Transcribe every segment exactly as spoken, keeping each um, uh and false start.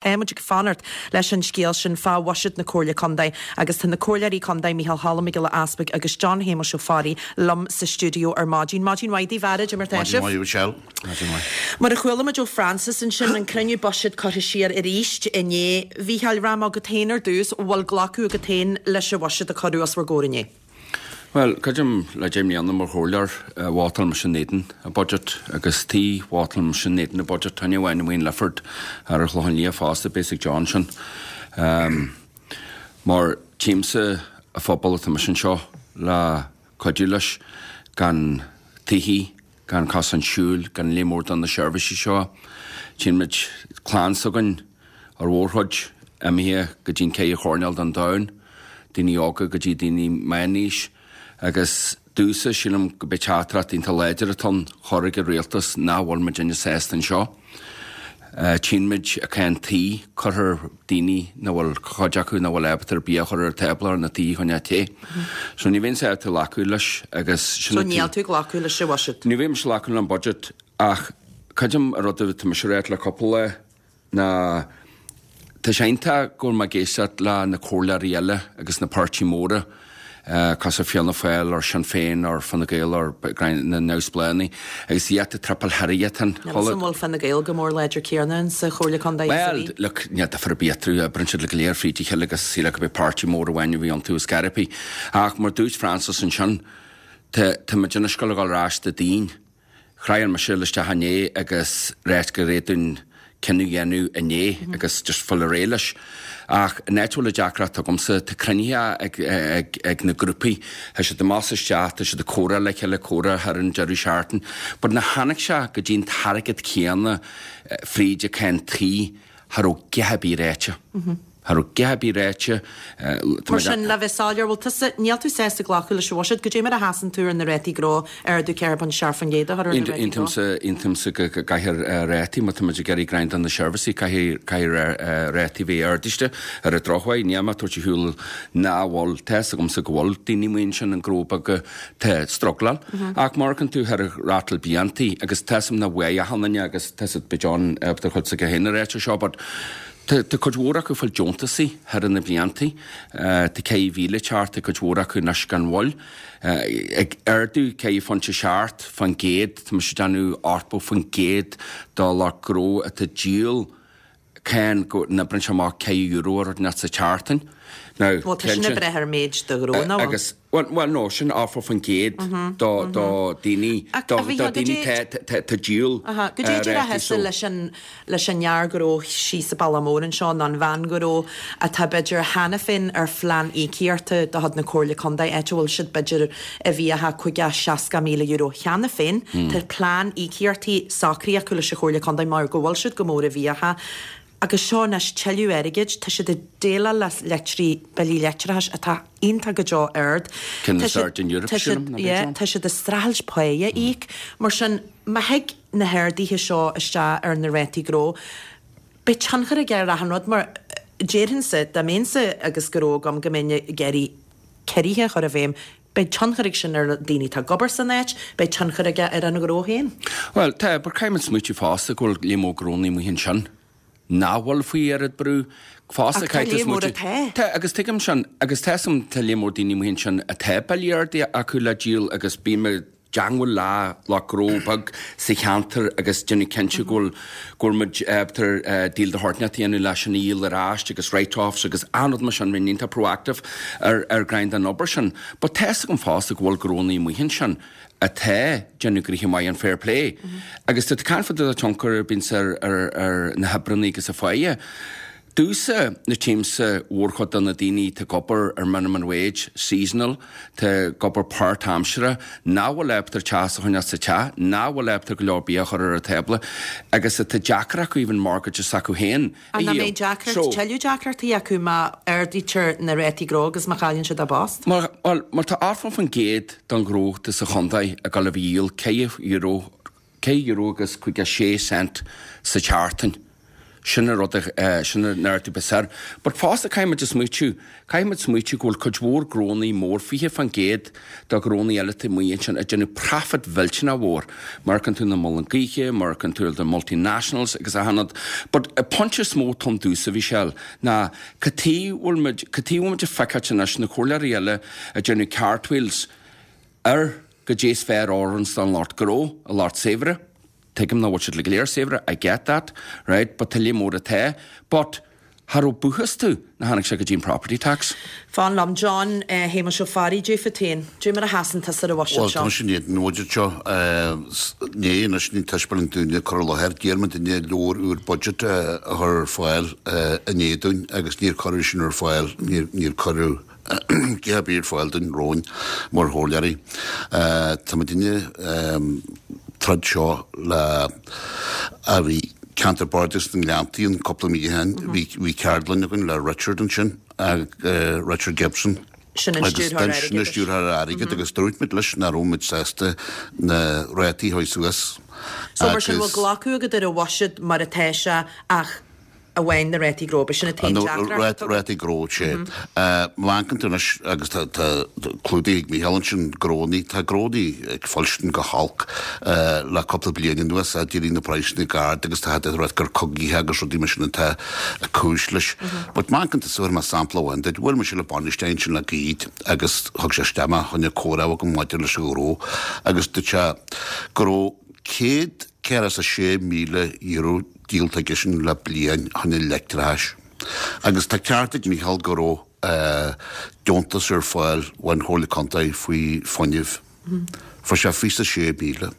Tá muid ag fanacht leis an scéal sin fá bhuiséad na Comhairle Contae agus tá na Comhairleoirí Contae Micheál Cholm Mac Giolla Easpaig agus John Shéamuis Ó Fearraigh liom sa stiúideo ar maidin. Maidin mhaith daoibh a fheara, mar tá sibh. Mar a chuala muid ó Francis ansin an cruinniú buiséid curtha siar arís inné. Mhícheáil rá agat féin ar dtús bhfuil glacadh agat féin leis an bhuiséad a cuireadh os bhur gcomhair inné. Well, creidim le deich mbliana mar chomhairleoir vótáil mise in éadan an budget agus tí vótáil mise in éadan an budget thaine bhain Wayne Lifford ar Chlochán Liath fosta basic Johnson. Um, mar tchímse an phobal atá mise anseo le cuidiú leis gan tithí, gan cosán siúil, gan léim mór don na seirbhísí seo. Tchíonn muid clann s'againn ar mhórchuid imithe go dtí an ceithre choirnéal den domhan, daoine óga go dtí daoine meánaois, agus domhsa sílim go b'é teachtaireacht iontach láidir atá ann chur ag an rialtas nach bhfuil muid ina sásta anseo. Uh, Tchíonn muid a cén tí curthar daoine na bhfuil cuid acu na bhfuil ábalta ar bia a chur ar tábla ar na tí chun té. So ní bhíonn sé tú glacadh leis agus So níl tú glacadh leis an bhuiséad. Ní bhím glacadh le an budget ach creidim a rud tá mise ráit le cúpla na Tá sé iontach go bhfuil mé ag éisteacht le na comhairleoirí eile agus na páirtí móra uh, cos Fianna Fáil ar Sinn Féin ar Fine Gael ar na Neamhspleáigh agus iad a triple Harriet. An bhfuil Fine Gael go mór láidir céanna sa Chomhairle Contae Well, look, ní difear bítrú a brinn siad le go léir fríd a chéile agus síle go b'é páirtí mór amháin a bhí iontu is Garipí. Ach mar dúirt Francis ansin tá tá muid ina scoil ag dul ar ais do daoine. Chraith mise isteach inné agus réit go réadún cinneadh dhéanamh inné agus just fuil réidh leis. Ach an áit bhfuil a deacracht agamsa tá cruinnithe ag, ag, ag na grúpaí, Tá siad amach isteach, tá siad ag comhrá le chéile comhrá thar an deireadh seachtain, But na tháinig sé go dtí an t-airgead céanna eh, fríd a cén tí thar ó geha bí réite. Thar ó geha bí réite. Mar sin le bheith soiléir bhfuil tusa níl tú sásta glacadh leis an bhuiséad go dté mar a sheasann tú ar na rátaí gnó ar ardú ceithre ponc seacht faoin gcéad a chur ar na rátaí gnó. Aontaímse go gcaithfear rátaí má tá muid ag iarraidh greim do na seirbhísí caithfidh rátaí bheith ardaithe ar an drochuair ní má tuair thuúil ná bhfuil tá agamsa go bhfuil daoine muin sin an gnó beag te struggláil ach mar an tú ar rátal bliantaí agus tá na bhuiachanna agus tá be John chud sa go héana réite seo, but Tá cuid mhór acu fáil deontasaí thar na bliantaí, Tá ceithre mhíle teart tá cuid mhór acu anois gan bhfuil. Ag ardú ceithre phointe seacht faoin gcéad tá sé déanamh ochtó faoin gcéad do lucht gnó atá díol cén go n-oibreann sé amach ceithre euro ar net sa tseachtain. Well tá sin breith ar méid de ghnó ná agus well, well no sin ochtó faoin gcéad do do daoine do daoine tá díol Go dté a leis an leis an fhear gnó síos sa bhaile mór anseo ná an bhean ghnó atá b'fhéidir cheana féin ar phlean íocaíochta de chuid na Comhairle Contae áit a bhfuil siad b'fhéidir i bhfiacha caoga seasca míle euro cheana féin Tá plean íocaíochtaí socraithe acu leis an Chomhairle Contae mar go bhfuil siad go mór i bhfiacha. Agus seo anois tuilleadh airgid, tá siad ag déileáil le leictrí billí leictreachais atá iontach go deo ard. Tá siad ag streachailt páighe a íoc, mar sin má thig na harduithe seo isteach ar na rátaí gnó, beidh tionchar aige ar achan rud mar déarfainnse dá mbeinnse agus gnó agam go mbeinn ag iarraidh ciorruithe a chur i bhfeidhm, beidh tionchar ag sin ar daoine atá ag obair san áit, beidh tionchar aige ar an ghnó féin. Well, tá, bar caithfidh smaoitiú fosta go bhfuil léim ó gnónnaí amuigh ansin. Ná bhfuil faoi oiread brú fosta Tá Tá agus tuigim sin agus tá tá léim mór daoine amuigh ansin atá billí arda acu le díol agus bím i dteagmháil le le gnó beag sa cheantar agus déanamh cinnte go bhfuil go bhfuil muid ábalta díol de shórt dhéanamh leis an íol ar ais agus write-offs agus an-rud mar sin bíonn iontach proactive ar ar grind an obair sin. But tá agam fosta go bhfuil gnónnaí amuigh ansin atá déanamh gnoithe maith an fair play. Agus tá can fud a tionchar bíonn ar ar ar na hoibreanna agus a pháighe. Domhsa na tchímse mhórchuid de na daoine tá ag obair ar minimum wage seasonal, tá ag obair páirtaimseartha, ná bhfuil ábalta teas a choinneáil sa teach, ná bhfuil ábalta go leor bia a chur ar an tábla, agus tá deacair acu even mortgage acu féin. An na méid deacracht tuilleadh deacrachtaí acu má ardaítear na rátaí gnó agus má chailleann siad a bpost? Mar well, mar tá ochtó faoin gcéad don ghnó sa chontae ag dul a dhíol ceithre euro ceithre euro agus caoga sé cent sa tseachtain. Sin an rud a sin an ardú ba saor. But fosta caithfidh muid a smaoitiú, caithfidh muid smaoitiú go bhfuil cuid mhór gnónnaí mór, fiche fan gcéad de ghnónnaí eile taobh amuigh ansin ag déanamh profit mhillteanach mhór. Mar amharcann tú na muileann gaoithe, mar amharcann tú the multinationals agus achan rud. But an pointe is mó atá ann domhsa a Mhichelle ná cad chuige bhfuil muid, cad chuige bhfuil muid ag feiceáilt anois na comhairleoirí eile ag déanamh cartwheels ar goidé is fearr a oireanns don lucht gnó, an lucht saibhre. Tuigim nach bhfuil siad go léir saibhir, I get that, right, but tuilleadh mór atá, but cha raibh buchas tú na tháinig sé go dtí an property tax. Fan liom, John Shéamuis Ó Fearraigh, dé fút féin, dé mar a sheasann tusa ar an bhuiséad Bhuel, seo? tá mise in éadan an bhuiséid seo. Né, anois ní taispeáint dúinne cur i láthair. D'iarr muid duine leabhar úr budget a chur ar fáil inné dúinn agus níor cuireadh sin ar fáil, níor, níor cuireadh cé ar bith ar fáil dúinn romhainn mar chomhairleoirí. Tá muidinne troid seo le a bhí ceantar Bardais na nGleanntaí an cúpla mí ó shin. Bhí bhí ceardlann againn le Richard ansin, Richard Gibson. Sin an stiúrthóir Sin an airgeadais. stiúrthóir airgid agus dúirt muid leis nach raibh muid sásta na rátaí a chuaigh suas. So mar sin Agus bhfuil glacadh agat ar an bhuiséad mar atá sé ach amháin na rátaí gnó, b'shin an t-aon deacracht. Rátaí gnó sé. Má amharcann tú anois agus tá clúdaithe ag Mícheál ansin gnónnaí, tá gnónnaí ag fuilstin go holc le cúpla bliain anuas, d'éirigh na praghsanna go hard agus tá rud gur cogaithe agus rudaí mar sin atá cúis leis. But má amharcann tú suas mar sampla amháin duit, bhuail mise le bainisteoir ansin le gairid agus thug sé isteach mé chun comhrá agam maidir leis an ghnó agus dúirt sé go raibh céad ceithre is a sé míle euro díolta aige sin le bliain chun an leictreachais. Agus tá ceart ag Mícheál go raibh deontas ar fáil ón Chomhairle Contae faoi fuinneamh. Fuair sé fiche sé míle.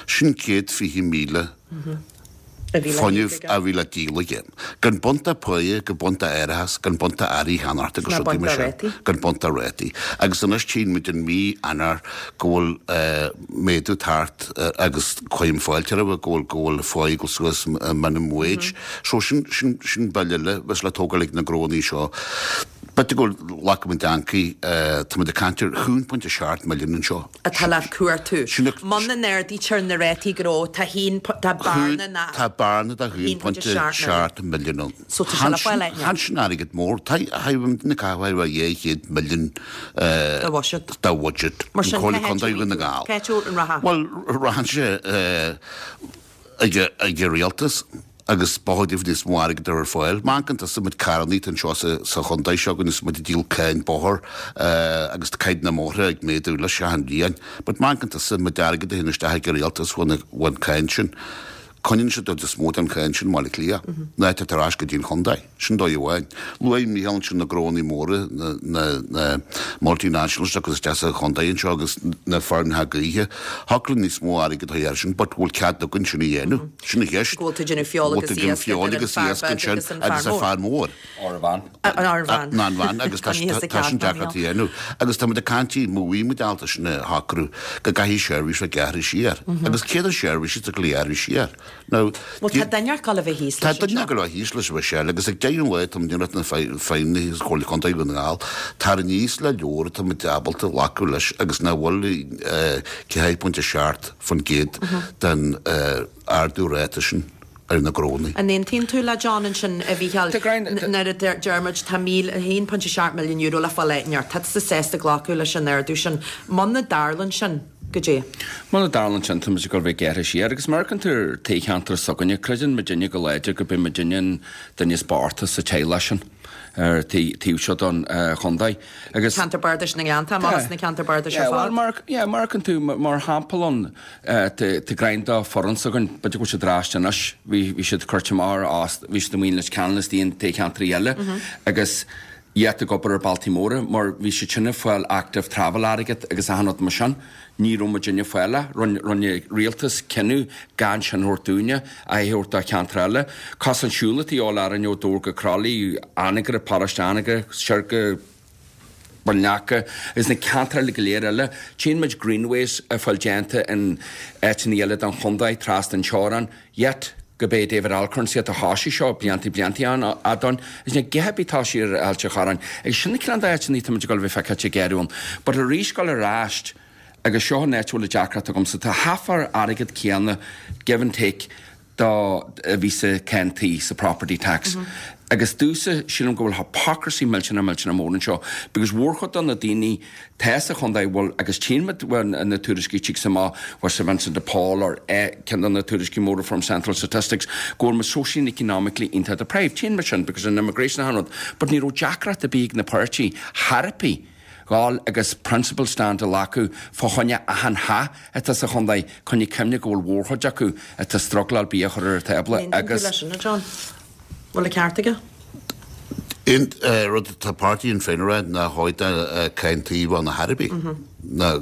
Sin céad fiche míle fuinneamh a bhí le díol aige. Gan baint de pháighe, gan baint de árachas, gan baint de earraí cheannacht agus Ná rudaí baint mar de sin. rátaí. Gan baint de rátaí. Agus anois tchíonn muid in mí Eanáir go bhfuil méadú tart agus cuirim fáilte roimhe go bhfuil go bhfuil pháigh ag dul suas minimum wage. So sin sin sin bille eile bheas le tógáil ag na gnónnaí seo. B'fhéidir go bhfuil glacadh ancaí tá muid ag caint ar haon pointe seacht milliún anseo. Atá le cuartú. Sin a- Muna n-ardaítear na rátaí gnó, tá haon tá bearna na Tá bearna de haon pointe seacht milliún ann. So tá sé le fáil aithne. Chan sin airgead mór, tá na caithfidh dhá chéad milliún De bhuiséad. de bhuiséad. Mar sin An Chomhairle cá Contae Dhún na nGall. Cá háit an ratha? Bhuel, rachann sé ag ag an rialtas agus ba chóir níos mó airgead ar fáil. Má amharcann tusa muid carrannaí anseo sa sa chontae seo agus muid ag díol cáin bóthair agus caighdeán na mbóithre ag méadú leis achan bhliain. But má amharcann tusa muid airgead a théann isteach ag an rialtas bhain cáin sin. Coinníonn siad is mó den cháin sin i mBaile Átha Cliath. Ná tá tar ais go dtí an chontae. Sin dóigh amháin. Luaigh Mícheál ansin na gnónnaí móra na, na, na multinationals agus isteach sa chontae anseo agus na feirmeacha gaoithe. Thiocfadh níos mó airgead a air sin, but bhfuil cead againn sin a dhéanamh. Sin an cheist. Go bhfuil tú ag déanamh feoil agus Bhfuil tú ag déanamh iasc feoil idir an agus fear iasc beag ansin agus an agus fear an fear mór. Árbhán. An árbhán. Ná an bhean agus tá An níos tá sin ceart, deacracht a dhéanamh. Agus tá muid ag caint má bhí muid ábalta sin a shocrú go gcaithfidh seirbhís a gearradh siar. Agus céad an seirbhís a go gearradh siar. Now, Well tá duine ag gabháil a bheith thíos Tá leis duine anseo. ag gabháil a bheith thíos leis Michelle agus ag deireadh an lae tá muid na feidhmeannaigh agus Comhairle Contae Dhún na nGall tar aníos le leor tá muid ábalta glacadh leis agus nach bhfuil ceathair pointe seacht faoin gcéad den ardú ráta sin ar na gnónnaí. An aontaíonn tú le John ansin a Mhícheáil Tá grein- nuair a deir deir muid tá míle a haon pointe seacht milliún euro le fáil áit Tá tú sásta glacadh leis an ardú sin. Muna dtarlaíonn sin goidé. Muna dtarlaíonn sin tá muid ag gabháil a bheith gearrtha siar agus mar an tú toghcheantar s'againne creideann muidinne go láidir go b'é muidinne an duine is boichte sa teaghlach sin ar taobh seo don chontae. Agus Ceantar Bardais na nGleannta, mar na ceantar bardais ar Yeah, well, fad. mar yeah, mar an tú mar shampla an tá grein dá foran s'againn b'fhéidir go bhfuil siad ar ais anois bhí bhí siad curtha mar as bhí siad amuigh leis Ceanannas dtí an toghcheantraí eile agus iad ag obair ar bhealtaí móra mar bhí siad sin ag fáil active travel airgead agus achan rud mar sin. Ní raibh muidinne ag fáil é, rinne rialtas cinneadh gan sin a thabhairt dúinne a thabhairt do cheantar eile. Cosán siúil atá orainn ó Dobhar go Croithlí, Anagaire, Paróiste Anagaire, siar go Baile is na ceantair eile go léir eile. Tchíonn muid greenways a fáil déanta in áiteanna eile den chontae trasna an teorainn, yet go bé David Alcorn siad a thosaigh seo blianta blianta an adán, is na githe bí tá sí ar Ailt an Chorráin. Agus sin na ceann d'áiteanna tá muid ag gabháil a bheith feicthe géarún. But arís gabháil ar ais agus seo an áit a bhfuil deacracht agamsa tá half ar airgead céanna give and take do a bhí sa cáin tí sa property tax. Mm -hmm. Agus dúsa sílim go bhfuil hypocrisy millteanach millteanach mór anseo, because mhórchuid de na daoine tá sa chontae bhfuil agus tchímid na tuairiscí tigh amach was Saint Vincent de Paul or ceann de na tuairiscí móra from Central Statistics go bhfuil muid socially and economically iontach deprived. Tchímid sin because an immigration a rud, but ní raibh deacracht ar bith ag na páirtí therapy gáil agus principle stand a ghlacadh fá choinne achan theach atá sa chontae coinne cuimhne go bhfuil mhórchuid acu atá struggláil bia a chur ar an tábla agus leis sin, John. Bhfuil a ceart aige? Aon rud atá páirtí Shinn Féin a rá ná chóir cáin tí bheith na thairbí. Ná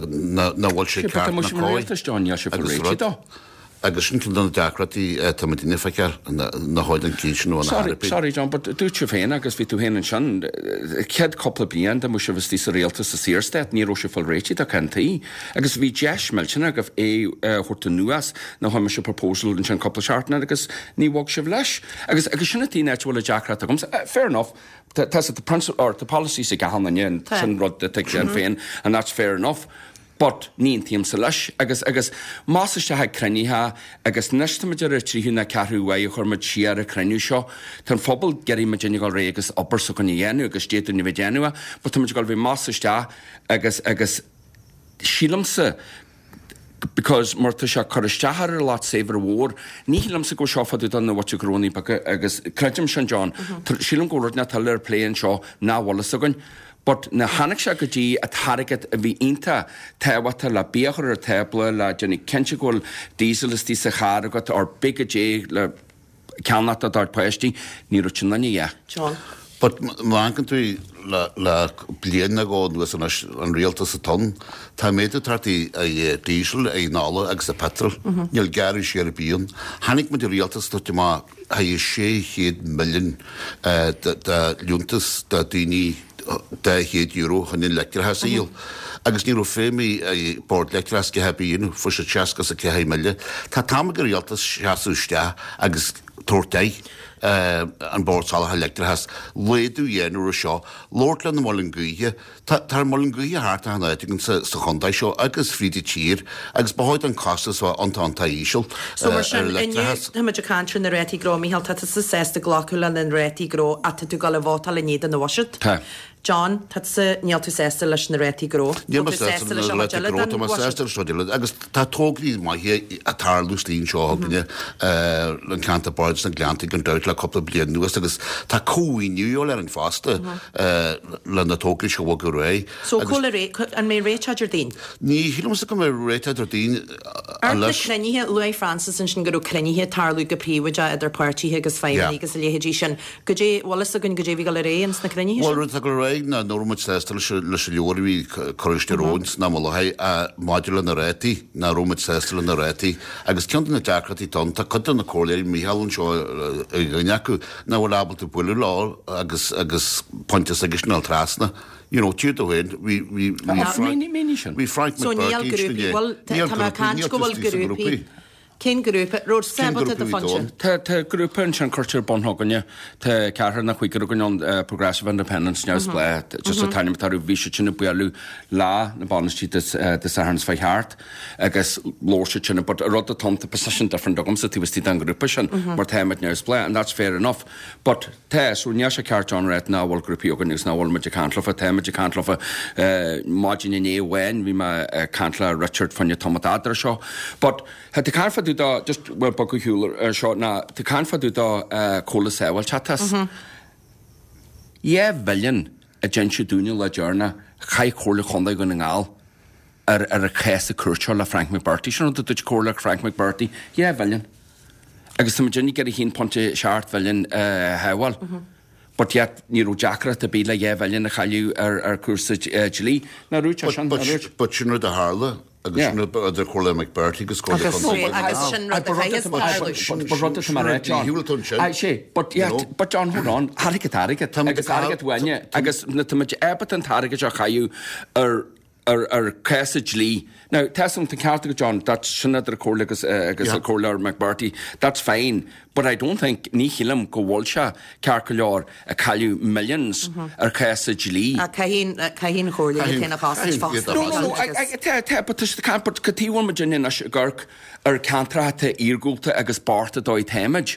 bhfuil sé ceart ná cóir. Agus rud. Agus sin ceann de na deacrachtaí atá muid ag feiceáil ná chóir an cinn sin bheith na thairbí. Sorry John, but dúirt tú féin agus bhí tú féin ansin, chéad cúpla bliain dá mbeadh sibh istigh sa rialtas sa Saorstát, ní raibh sé fáil réitigh do cáin tí. Agus bhí deis millteanach agaibh é a thabhairt anuas nó chuir mise proposal ansin cúpla seachtain agus ní bhog sibh leis. Agus agus sin an áit a bhfuil an deacracht agamsa. Fair enough, tá tá principle or the policies ag achan duine sin rud a tuig sin féin and that's fair enough. But ní aontaímse leis agus agus más isteach ag cruinnithe agus anois táimid ar an tríú nó ceathrú uair a chuir muid siar an cruinniú seo. Tá an phobal ag iarraidh muid ag dul réidh agus obair s'againn a dhéanamh agus d'fhéadfainn a bheith déanamh, but táimid ag dul bheith más isteach agus agus sílimse because mar tá sé cur isteach ar lot saibhir mhór, ní shílimse go seo fadú don na bhfuil grónaí beaga agus creidim sin John, sílim go rud na tuile ar plé anseo ná bhfuil fhios againn. But na tháinig sé go dtí an t-airgead a bhí iontach tábhachtach le bia a chur ar an tábla le déanamh cinnte go bhfuil diesel istigh sa charr agat or big go dé le ceannacht do d'ár páistí, ní raibh sin ina dhiaidh. John. But má amharcann tú le le bliain nó dhó anuas anois an rialtas atá ann, tá méadú tagtha ar diesel, ar an ola agus ar petrol. Níl gearradh siar ar bith ann. Tháinig muid i rialtas dúirt amach haghaidh sé chéad milliún de liúntas do daoine dá chéad euro chun an leictreachas a dhíol. Agus ní raibh feidhm ag Bord Leictreachais go haibí inniu, fuair siad seasca is a ceathair mile. Tá t-am ag an rialtas seasamh isteach agus tabhairt aghaidh an Bord Soláthair Leictreachais, laghdú a dhéanamh air seo, labhairt le na muileann gaoithe. Tá tá muileann gaoithe thart achan áit againn sa sa chontae seo agus fríd an tír agus ba chóir don costas a bheith iontach iontach íseal So mar ar sin, an inniu leictreachas. tá muid ag caint ar na rátaí gnó, Micheál, tá tusa sásta glacadh le na rátaí gnó ach tá tú ag dul a vótáil in éadan an bhuiséid. Tá. John, tá tusa, níl tú sásta leis na rátaí gnó. Níl Tá mé tú sásta sásta le leis na an chuid rátaí eile gnó, den tá mé bhuiséad. sásta leis an chuid eile agus tá tograí maithe ag tarlú istigh anseo againne an ceantar Bardais na Gleannta gan dabht le cúpla bliain anuas agus tá cómhaoiniú ar an fosta le na tograí seo a bhogadh ar aghaidh. So Agus cá bhfuil ré, an mbeidh réiteach Déardaoin? ní shílimse go mbeidh réiteach Déardaoin Ar na leis. cruinnithe, luaigh Francis ansin go raibh cruinnithe ag tarlú go príobháideach idir páirtithe agus feidhmeannaigh Yeah. agus a leithéidí sin. Goidé, bhfuil fhios againn goidé bhí ag dul ar aghaidh ins na cruinnithe Bhuel sin? rud atá ag dul ar aghaidh ná nach raibh muid sásta leis leis an leabhar a bhí curtha isteach romhainn san am i láthair maidir le na rátaí, nach raibh muid sásta le na rátaí. Agus ceann de na deacrachtaí atá ann, tá cuid de na comhairleoirí, Mícheál anseo ar dhuine acu, nach bhfuil ábalta bualadh leo agus agus pointe s'aigesean a fháil trasna. You know, tír do féin, bhí bhí bhí Frank Mínigh mínigh sin. bhí Frank So níl McBrearty grúpaí, inné. bhfuil, Níl tá mé ag grúpaí, caint níl go bhfuil tuistí sa grúpaí. grúpaí. Cén grúpa? Raibh Cén sábalta grúpa do bhí phointe? ann? Tá tá grúpa ansin curtha ar bun againne, tá ceathrar nó cúigear againn ann Progressive Independents neamhspleách, just an t-ainm atá orthu, bhí siad sin ag bualadh lá na bainistí Dé Sathairn seo thart agus labhair siad sin, but rud atá ann, tá position different agamsa taobh istigh den ghrúpa sin mar táimid neamhspleách and that's fair enough. But tá, so níl sé ceart John a rá nach bhfuil grúpaí againn agus nach bhfuil muid ag caint leofa, táimid ag caint leofa maidin inné amháin, bhí mé ag caint le Richard fá choinne tamall fada seo. But tá tú caint fá dtaobh de, just well bogadh shiúl ar seo ná tú caint fá dtaobh de comhlacht sábháilteachta. Dhá mhilliún a d'inis dúinne le deireanach chaith Comhairle Chontae Dhún na nGall ar ar a cás cúirte seo le Frank McBrearty. Sin rud a dúirt Comhairle Frank McBrearty, dhá mhilliún. Agus tá muid ag iarraidh a haon pointe seacht mhilliún a shábháil. But yet ní raibh deacracht ar bith le dhá mhilliún a chailleadh ar ar cúrsa dlí. Ná rúid sin But, but, but sin rud a tharla agus Yeah. sin rud idir Comhairle McBrearty agus Comhairle Agus Chontae sé- agus sin rud a chaithfeas tarlú. But rud atá mar é, John. Shiúil tú ansin. Aye, sé, but You yet, know. but John, hold on, airgead airgead, Tá muid agus ag cael- airgead uainne, tá- agus na tá muid ábalta an t-airgead seo a chailleadh ar ar ar cás dlí. Now, tá an ceart agat John, that's sin idir Comhairle agus uh, agus Yeah. Comhairle McBrearty, that's fine, But I don't think, ní shílim go bhfuil sé ceart go leor ag cailleadh millions ar cás dlí. Caithfidh an Chomhairle iad féin a chosaint fosta. No, no, no, tá, tá, but tá siad ag caint, but cad chuige a bhfuil muid anois ag amharc ar ceantracha atá iargúlta agus bocht an dóigh táimid,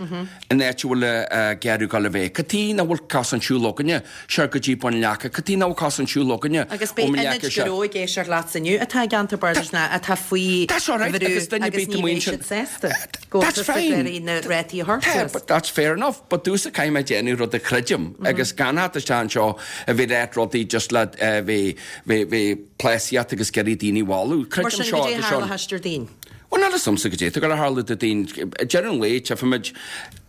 in áit a bhfuil ag iarraidh dul a bheith. Cad chuige nach bhfuil cosán siúil againne, siar go dtí Bun Leaca, cad chuige nach bhfuil cosán siúil againne Agus beidh ionaid gnó ag éisteacht leatsa inniu atá i gceantar bardais ná atá faoi bhrú agus ní bheidh siad sásta go That's fine. na rátaí a thabhairt Tá, suas. but that's fair enough, but domhsa caithfidh mé déanamh rud a chreidim agus gan theacht isteach anseo a bheith ag ráit rudaí just le bheith bheith pléasíocht agus ag iarraidh daoine a mhealladh. Mar Creidim sin seo goidé agus tharla seo. th'éis Déardaoin. Bhuel, níl a fhios agamsa goidé atá ag tarlú Déardaoin. Deireadh an lae, tchífimid,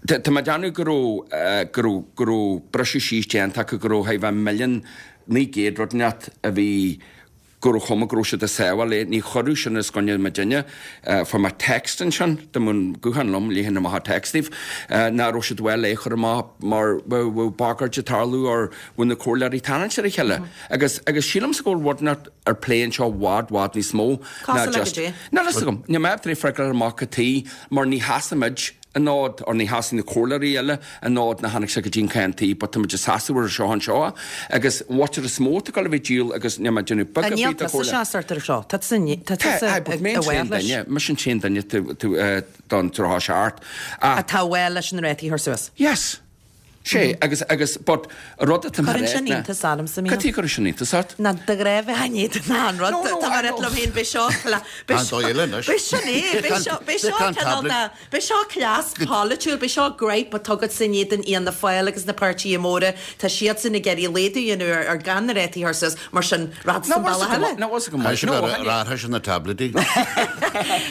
tá mé ag déanamh go raibh go raibh go raibh briseadh síos déanta acu go raibh thar bheith milliún naoi gcéad rud inteacht a bhí go raibh chuma go raibh siad ag sábháil é. Ní chuireadh sin os coinne muidinne. Fuair mé text ansin, dá mbeadh an guthán liom, léifinn amach an text daoibh, nach raibh siad bhfuil é a chur amach mar bheadh bagairt ag tarlú or bheadh na comhairleoirí ag tarraingt ar a chéile. Agus agus sílimse go bhfuil rud inteacht ar plé anseo bhfad bhfad níos mó ná Cosúil le just goidé? Níl a fhios agam. Níl mé ag freagra amach cad chuige mar ní sheasaimid an fhód, or ní sheasann na comhairleoirí eile an fhód nach tháinig sé go dtí an ceann tí, but táimid ag seasamh ar seo anseo agus what is mó atá ag dul a bheith díol agus níl mé ag déanamh beag Níl ar bith de tusa chomhairle. seasamh ar seo. Tá tusa tá tusa Tá, but mé i an t-aon bhfad leis. duine, mise an t-aon duine tu- tu- eh, don tríocha seacht. Ach Atá well leis na rátaí a chur suas. Yes. Sé, agus, agus, but rud atá Cuireann sin iontas ormsa, Mícheál. Cad chuige a gcuireann sin iontas ort? Na de ghnáth bheith an ná an rud No, no, tá I mar know. liom féin be seo Tá dóigh eile anois. Be seo é, be seo be seo Tá an cineál tablet. de- be seo cleas polaitiúil, be seo gripe a tugat san iad an Fhianna Fáil agus na páirtithe móra tá siad san ag iarraidh laghdú a dhéanamh ar ar gan na rátaí a chur suas mar sin rad san bealach eile. No, was go Tá sé No, rártha sin na tabletí.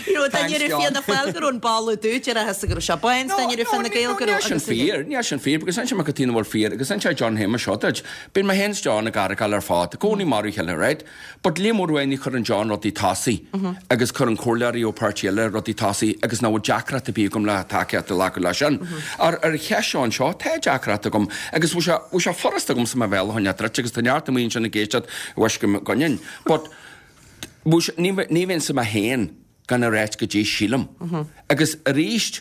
You know, Thanks, duine John. Fianna Fáil go raibh an balla dúid ar a go raibh sé bain, duine Fine Gael go raibh sin agus fíor, níl sin fíor, because sin go tína bhfuil fíor, agus sin sé John Shéamuis seo duit. Bíonn mé féin is John ag argáil ar fad, i gcónaí mar a chéile, right? But le mór uaidh ní chuireann John rudaí tosaigh, agus cuireann comhairleoirí ó páirtí eile rudaí tosaigh, agus ná bhfuil deacracht ar bith agam le tacaíocht a ghlacadh leis sin. Ar ar cheist seo anseo, tá deacracht agam, agus bhfuil sé bhfuil sé furast agam sa mo bhéal a choinneáil druidte, agus tá neart amuigh ansin ag éisteacht bhuel go gcoinneoinn. But bhfuil sé- ní ní bhíonn sa mé féin gan a ráit goidé sílim. Agus arís,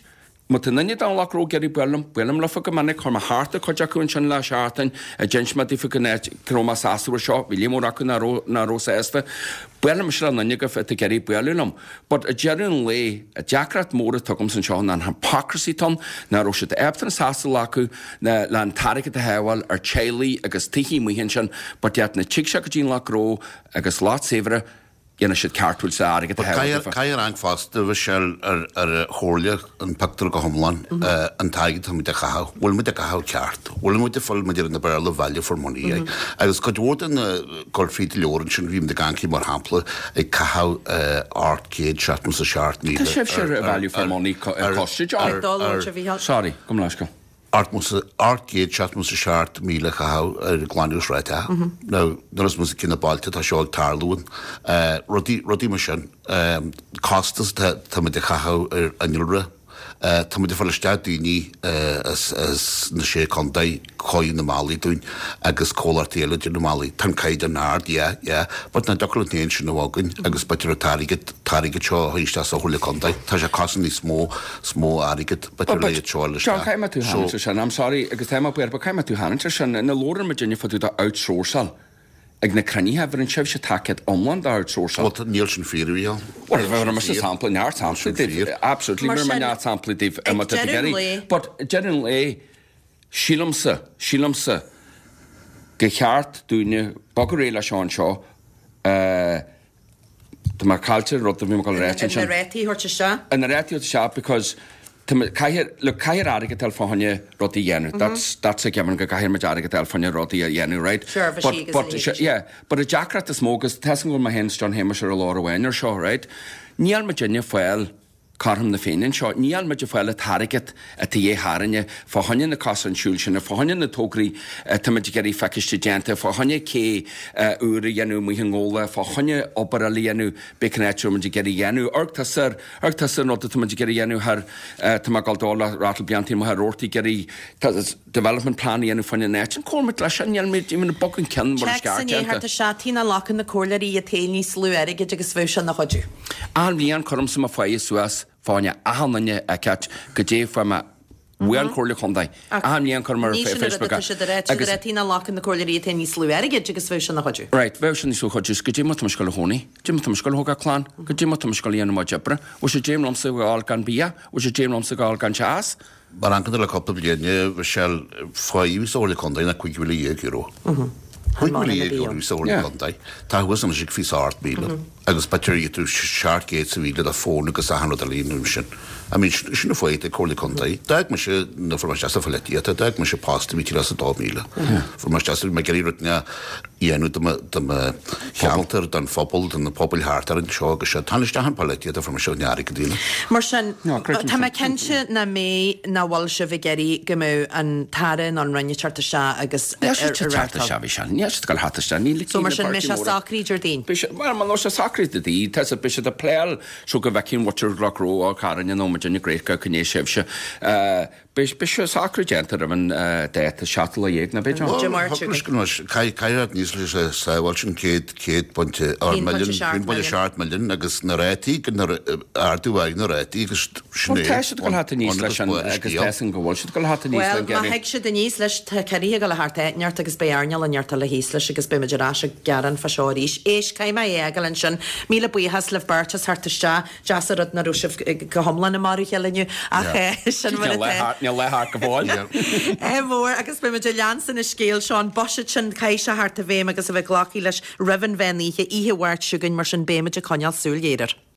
má tá duine den Loch Ró ag iarraidh bualadh liom, buailim leofa go minic, chuir mé thart ar chuid acu ansin le seachtain, a d'inis mé daofa go n-áit go raibh mé sásta air seo, bhí líon mór acu nach raibh nach raibh sásta. Buailim mise le duine agaibh atá ag iarraidh bualadh liom. But ag deireadh an lae, an deacracht mór atá agamsa anseo ná an hypocrisy atá ann, nach raibh siad ábalta an sásta a ghlacadh le le an t-airgead a shábháil ar teaghlaigh agus tithe amuigh ansin, but iad na tigh seo go dtí an Loch Ró agus lot saibhre, dhéanamh siad ceartúil sa airgead a shábháil daofa. Caithfidh an fosta Michelle ar ar chomhairle an pictiúr go hiomlán an t-airgead tá muid a chaitheamh, bhfuil muid a chaitheamh ceart, bhfuil muid ag fáil muid ar na Béarla value for money é. Agus cuid mhór den gul fríd leor ansin bhí muid ag caint mar shampla ag caitheamh ocht gcéad seachtó is a seacht míle. Tá sibhse ar value for money co- coiste, John. Ag dul ó a bhí Sorry, gabh mo leithscéal. Ocht gcéad seachtó is a seacht míle chaitheamh ar glanadh sráide. Now, nuair is muid cinn na bailte tá seo ag tarlú rudaí rudaí mar sin costas tá tá muid a chaitheamh ar innealra. Tá muid ag fáil isteach daoine as as na sé contae chun na mballaí dúinn agus comhlachtaí eile de na mballaí. Tá an caighdeán ard, yeah, yeah, but ná deacair an t-aon sin a bhagainn agus b'fhéidir an t-airgead t-airgead seo a thabhairt isteach sa Chomhairle Contae. Tá sé costas níos mó is mó airgead b'fhéidir le iad seo a John, isteach. caithfidh mé tú So- tharraingt ar sin. I'm sorry, agus tá mé buíoch, but caithfidh mé tú tharraingt ar sin. Na labhrann muid inniu fá dtaobh de outsourcáil. Ag na cruinnithe, bhí an sibhse tacaíocht iomlán do outsourcáil. Well, níl sin fíor a Well, bhí mar sampla neart samplaí daoibh. Absolutely, Mar mar sin, neart samplaí daoibh ag má tá tú deireadh an iarraidh. lae- But deireadh an lae, sílimse, sílimse go cheart dúinne bogadh réidh leis seo anseo, eh, Tá mé caillte rud a bhí mé ag rá Na sin. rátaí a thabhairt isteach. An na rátaí a thabhairt isteach because tá mé- caithfidh- look, caithfidh airgead a fháil fá choinne rudaí a dhéanamh. That's that's a given go caithfidh muid airgead a fháil fá choinne rudaí a dhéanamh, right? Seirbhísí But agus but a leithéidí se- yeah, but an deacracht is mó agus tá go bhfuil mé féin is John Shéamuis ar an lár amháin ar seo, right? Níl muidinne ag fáil cothrom na Féinne anseo, níl muid ag fáil an t-airgead atá dhé tharainne, fá choinne na cosáin siúil sin, fá choinne na tograí tá muid ag iarraidh feiciste déanta, fá choinne cé úr a dhéanamh amuigh i nGabhla, fá choinne obair eile a dhéanamh b'fhéidir an áit a muid ag iarraidh dhéanamh. Amharc tusa ar amharc tusa an rud atá muid ag iarraidh dhéanamh thar tá mé ag dul dul le Rattle Beantaí mo thar ag iarraidh development plan a dhéanamh fá choinne an áit. An cóir leis sin, níl muid even bogadh ceann mar is Check san ceart déanta. thart isteach na lacan na comhairleoirí iad féin níos lú airgid agus bheadh sin na chuidiú. An bhliain cuirimse mo pháighe suas fá choinne achan duine a ceart goidé fuair mé Uaidh an Chomhairle Chontae. Achan mbliain cuirim ar Ní sin an rud Facebook atá siad a rá, tá siad agus a rá tá na glacann na comhairleoirí atá níos lú airgid agus bheadh sin ina chuidiú. Right, bheadh sin níos lú chuidiú. Goidé mar tá mise ag gabháil a chónaí? Goidé mar tá mise ag gabháil a thógáil clann? Goidé mar tá mise ag gabháil a dhéanamh mo chuid oibre? Bhfuil sé d'éim liomsa a ghabháil gan bia? Bhfuil sé d'éim liomsa a ghabháil gan teas? Mar amharcann tú le cúpla bliain, bhí sé faoi sa Chomhairle Contae ná cúig mhíle dhéag euro. Cúig mhíle dhéag euro sa Chomhairle Contae. Tá thuas anois ag fiche ocht míle agus b'fhéidir tú seacht gcéad sa mhíle do fón agus achan rud eile nó sin. I mean, sin an fáth ag Comhairle Contae. D'fhág mise na fuair mé isteach sa pholaitíocht, d'fhág mise post a bhí tír as a dó mhíle. Fuair mé isteach sa, mé ag iarraidh rud a dhéanamh do mo, do mo cheantar, don phobal, do na pobail thart ar anseo agus seo. Tháinig isteach an pholaitíocht a fuair mise an airgead daoine. Mar sin, No, creidim tá mé sin. cinnte nach mbeidh, nach bhfuil sibh ag iarraidh go mbeadh an tAire nó an Roinn ag teacht isteach agus Níl siad ag teacht isteach, bhí sé. Níl siad ag dul theacht isteach. Níl So mar na sin, mbeidh sé páirtí móra. socraithe Déardaoin. Beidh sé, well, má sé socraithe Déardaoin, tá sé, beidh siad ag pléáil so go bhfeicfidh an mhuintir Chnoc Ró, Carn nó muid ina gréithe go sibhse. Beidh sé socraithe déanta roimh an dáta seachtú lá dhéag nó b'fhéidir. Dé Máirt chugainn. Caithfidh níos leis a sábháil sin céad céad pointe or Aon pointe milliún seacht aon pointe milliún. seacht milliún agus na rátaí go na ardú aghaidh na rátaí agus sin Well, é. tá siad ag dul thart aníos leis an agus tá san go bhfuil siad ag dul thart aníos Well, le má Gary. thig siad aníos leis tá ciorruithe ag dul thart neart agus beidh earnáil an neart eile thíos leis agus beidh muid ar ais ag gearán fá seo arís. Éist, caithfidh mé é a fhágáil ansin. Míle buíochas libh beirt as theacht isteach. Deas an rud nach raibh sibh go hiomlán i marú chéile inniu ach eh, sin mar Níl atá. le níl le thart go fóill. É mór agus beidh muid ag leanstan an scéal seo an buiséad sin caithfidh sé theacht i bhfeidhm agus a bheith glactha leis roimh an mheán oíche oíche Mháirt seo chugainn mar sin beidh muid ag coinneáil súil ghéar air.